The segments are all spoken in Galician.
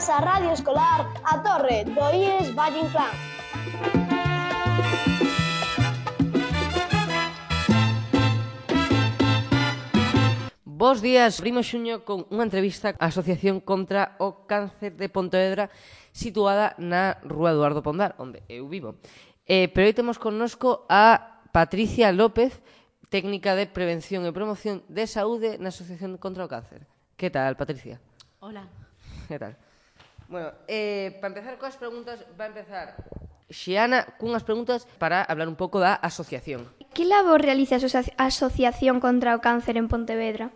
Benvidas á Radio Escolar A Torre do IES Valle Inclán. Bos días, abrimos xuño con unha entrevista á Asociación contra o Cáncer de Pontevedra situada na Rúa Eduardo Pondal, onde eu vivo. Pero hoy temos connosco a Patricia López, técnica de prevención e promoción de saúde na Asociación contra o Cáncer. Que tal, Patricia? Hola. Que tal? Bueno, para empezar coas preguntas, va a empezar Xiana cunhas preguntas para hablar un pouco da asociación. Que labor realiza a Asociación contra o Cáncer en Pontevedra?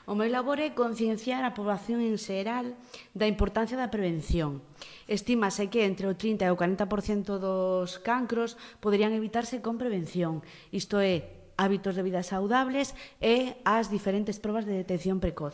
O meu labor é concienciar a poboación en xeral da importancia da prevención. Estímase que entre o 30 e o 40% dos cancros poderían evitarse con prevención. Isto é, hábitos de vida saudables e as diferentes probas de detección precoz.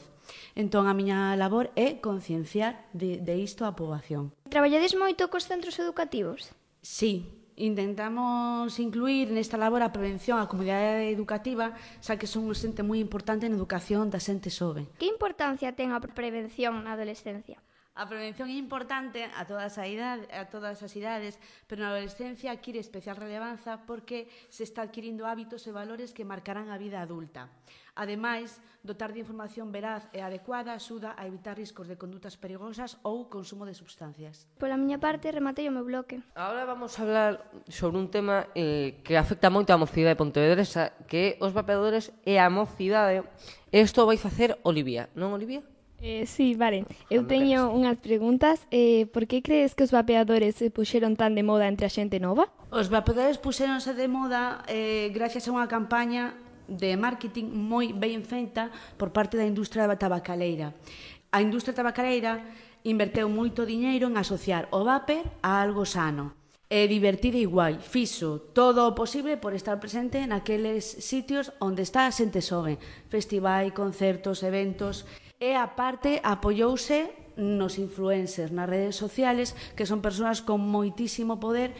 Entón, a miña labor é concienciar de isto a poboación. Traballades moito cos centros educativos? Sí, intentamos incluir nesta labor a prevención á comunidade educativa, xa que son un xente moi importante na educación da xente xove. Que importancia ten a prevención na adolescencia? A prevención é importante a todas as idades, pero na adolescencia adquire especial relevanza porque se está adquirindo hábitos e valores que marcarán a vida adulta. Ademais, dotar de información veraz e adecuada axuda a evitar riscos de condutas perigosas ou consumo de substancias. Pola miña parte, rematei o meu bloque. Agora vamos a hablar sobre un tema que afecta moito á mocidade pontevedresa, que é os vapeadores e a mocidade. Isto vai facer Olivia, non, Olivia? Sí, vale. Eu teño unhas preguntas. Por que crees que os vapeadores se puxeron tan de moda entre a xente nova? Os vapeadores puxéronse de moda gracias a unha campaña de marketing moi ben feita por parte da industria tabacaleira. A industria tabacaleira inverteu moito diñeiro en asociar o vape a algo sano e divertido e guai. Fixo todo o posible por estar presente naqueles sitios onde está a xente xove, festivais, concertos, eventos, e aparte apoiouse nos influencers, nas redes sociales, que son persoas con moitísimo poder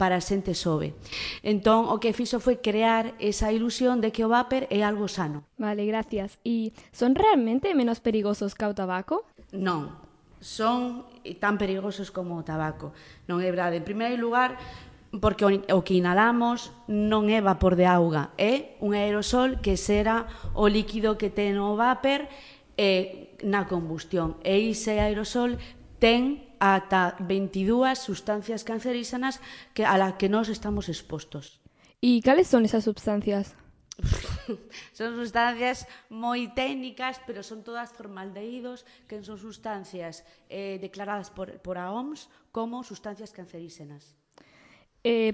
para a xente xove. Entón, o que fixo foi crear esa ilusión de que o vapor é algo sano. Vale, gracias. E son realmente menos perigosos que o tabaco? Non, son tan perigosos como o tabaco. Non é verdade. En primeiro lugar, porque o que inhalamos non é vapor de auga, é un aerosol que será o líquido que ten o vapor na combustión. E ese aerosol ten ata 22 sustancias cancerígenas a las que nos estamos expostos. E cales son esas substancias? Son sustancias moi técnicas, pero son todas formaldehídos, que son sustancias declaradas por a OMS como sustancias cancerígenas.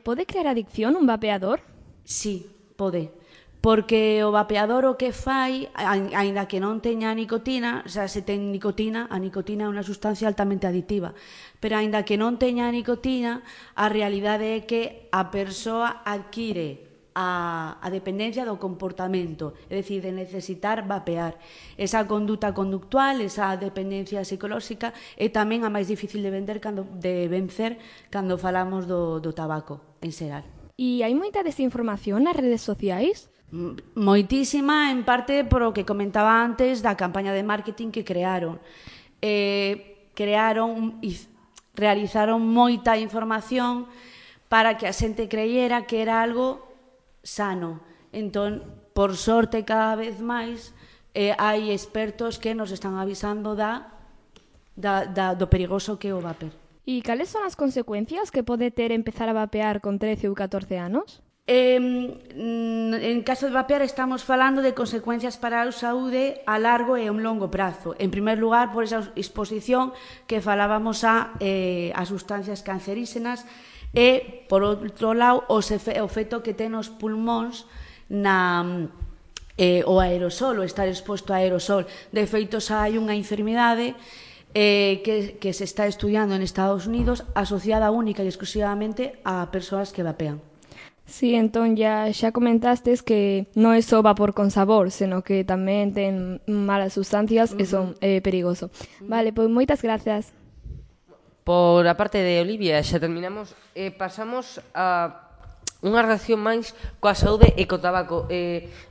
Pode crear adicción un vapeador? Sí, pode. Porque o vapeador o que fai, aínda que non teña nicotina, xa se ten nicotina, a nicotina é unha sustancia altamente adictiva, pero aínda que non teña nicotina, a realidade é que a persoa adquire a dependencia do comportamento, é dicir, de necesitar vapear. Esa conduta conductual, esa dependencia psicolóxica é tamén a máis difícil de vencer cando falamos do tabaco en xeral. E hai moita desinformación nas redes sociais? Moitísima, en parte por o que comentaba antes da campaña de marketing que crearon. Crearon e realizaron moita información para que a xente creyera que era algo sano. Entón, por sorte, cada vez máis hai expertos que nos están avisando do perigoso que é o vapor. E cales son as consecuencias que pode ter empezar a vapear con 13 ou 14 anos? En caso de vapear estamos falando de consecuencias para a saúde a largo e a un longo prazo. En primer lugar, por esa exposición que falábamos a sustancias cancerígenas e, por outro lado, o efecto que ten os pulmóns o aerosol, o estar exposto a aerosol. De feito, xa hai unha enfermidade que se está estudiando en Estados Unidos asociada única e exclusivamente a persoas que vapean. Sí, entón xa comentastes que non é só vapor con sabor, senón que tamén ten malas sustancias e son perigoso. Vale, pois moitas gracias. Por a parte de Olivia, xa terminamos. Pasamos a unha relación máis coa saúde e co tabaco.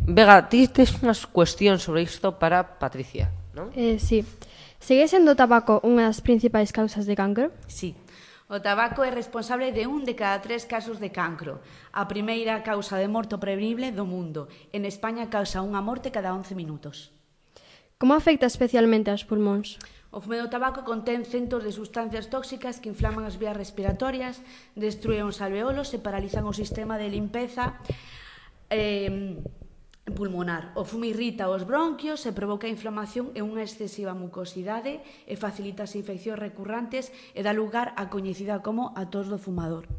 Vega, ti tes unhas cuestións sobre isto para Patricia, non? Sí. Segue sendo o tabaco unha das principais causas de cancro? Sí. O tabaco é responsable de 1 de cada 3 casos de cancro. A primeira causa de morte prevenible do mundo. En España causa unha morte cada 11 minutos. Como afecta especialmente aos pulmóns? O fume do tabaco contén centos de sustancias tóxicas que inflaman as vías respiratorias, destruen os alveolos e paralizan o sistema de limpeza pulmonar. O fume irrita os bronquios e provoca inflamación e unha excesiva mucosidade e facilita as infeccións recurrentes e dá lugar á coñecida como a tos do fumador.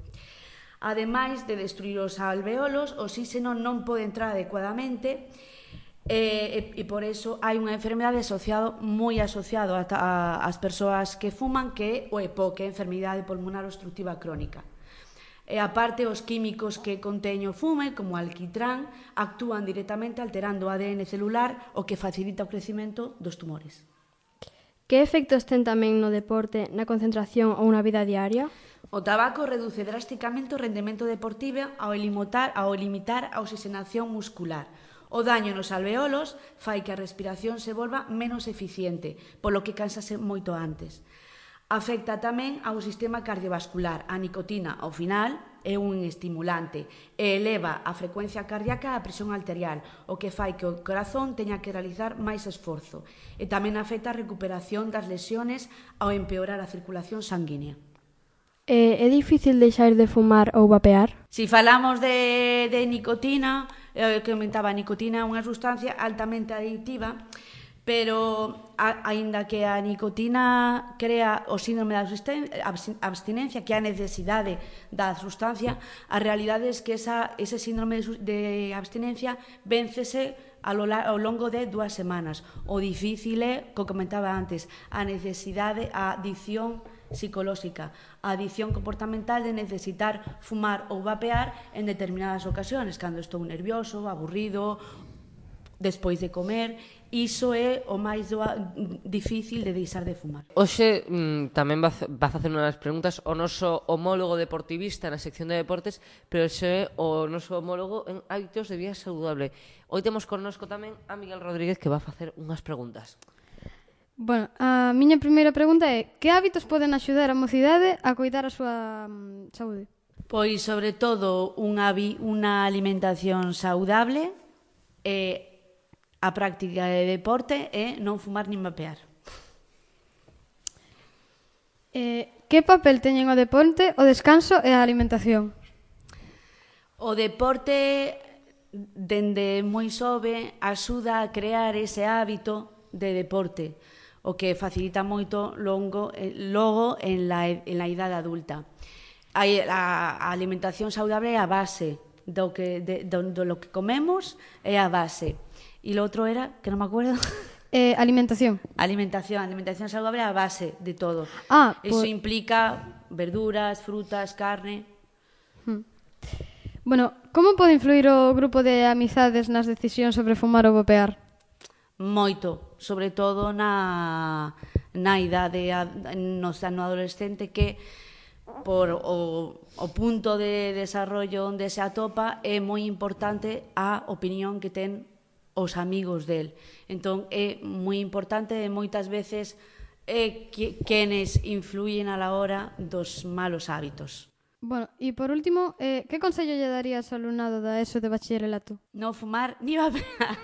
Ademais de destruir os alveolos, o oxíxeno non pode entrar adecuadamente e por eso hai unha enfermedade moi asociado ás persoas que fuman, que é o EPOC, que é a enfermidade pulmonar obstructiva crónica. E aparte, os químicos que contén o fume, como o alquitrán, actúan directamente alterando o ADN celular, o que facilita o crecimento dos tumores. Que efectos ten tamén no deporte, na concentración ou na vida diaria? O tabaco reduce drásticamente o rendemento deportivo ao limitar a oxigenación muscular. O daño nos alveolos fai que a respiración se volva menos eficiente, polo que cánsase moito antes. Afecta tamén ao sistema cardiovascular. A nicotina, ao final, é un estimulante e eleva a frecuencia cardíaca e a presión arterial, o que fai que o corazón teña que realizar máis esforzo. E tamén afecta a recuperación das lesiones ao empeorar a circulación sanguínea. É difícil deixar de fumar ou vapear? Si falamos de nicotina, que comentaba, a nicotina é unha sustancia altamente adictiva, pero aínda que a nicotina crea o síndrome de abstinencia, que é a necesidade da sustancia, a realidade é que ese síndrome de abstinencia véncese ao longo de 2 semanas. O difícil é, como comentaba antes, a necesidade, a adicción psicolóxica, a adicción comportamental de necesitar fumar ou vapear en determinadas ocasións, cando estou nervioso, aburrido, despois de comer. Iso é o máis difícil de deixar de fumar. Hoxe tamén vas a facer unhas preguntas ao noso homólogo deportivista na sección de deportes, pero hoxe é o noso homólogo en hábitos de vida saudable. Hoy temos connosco tamén a Miguel Rodríguez, que va a facer unhas preguntas. Bueno, a miña primeira pregunta é: que hábitos poden axudar a mocidade a coidar a súa saúde? Pois, sobre todo, unha alimentación saudable e a práctica de deporte é non fumar nin vapear. Que papel teñen o deporte, o descanso e a alimentación? O deporte, dende moi xove, axuda a crear ese hábito de deporte, o que facilita moito logo en la idade adulta. A alimentación saudable é a base do que comemos, é a base. E lo outro era, que non me acuerdo. Alimentación. Alimentación saudable é a base de todo. Eso implica verduras, frutas, carne. Bueno, como pode influir o grupo de amizades nas decisións sobre fumar ou vapear? Moito, sobre todo na idade no adolescente, que por o punto de desarrollo onde se atopa é moi importante a opinión que ten os amigos del. Entón é moi importante e moitas veces é quenes influyen a la hora dos malos hábitos. Bueno, e por último, que consello lle darías ao alumnado da ESO de bachillerato? Non fumar ni vapear.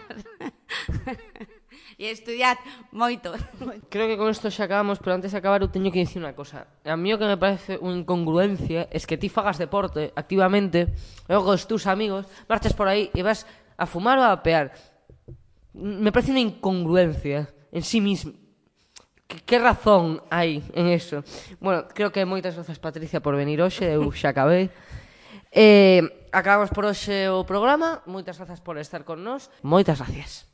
E estudiar moito. Creo que con isto xa acabamos, pero antes de acabar eu teño que dicir unha cosa. A mí o que me parece unha incongruencia es que ti fagas deporte activamente e logo os teus amigos marchas por aí e vas a fumar ou a vapear. Me parece unha incongruencia en sí mismo. Que razón hai en eso? Bueno, creo que moitas grazas, Patricia, por venir hoxe. Eu xa acabei. Acabamos por hoxe o programa. Moitas grazas por estar con nós. Moitas gracias.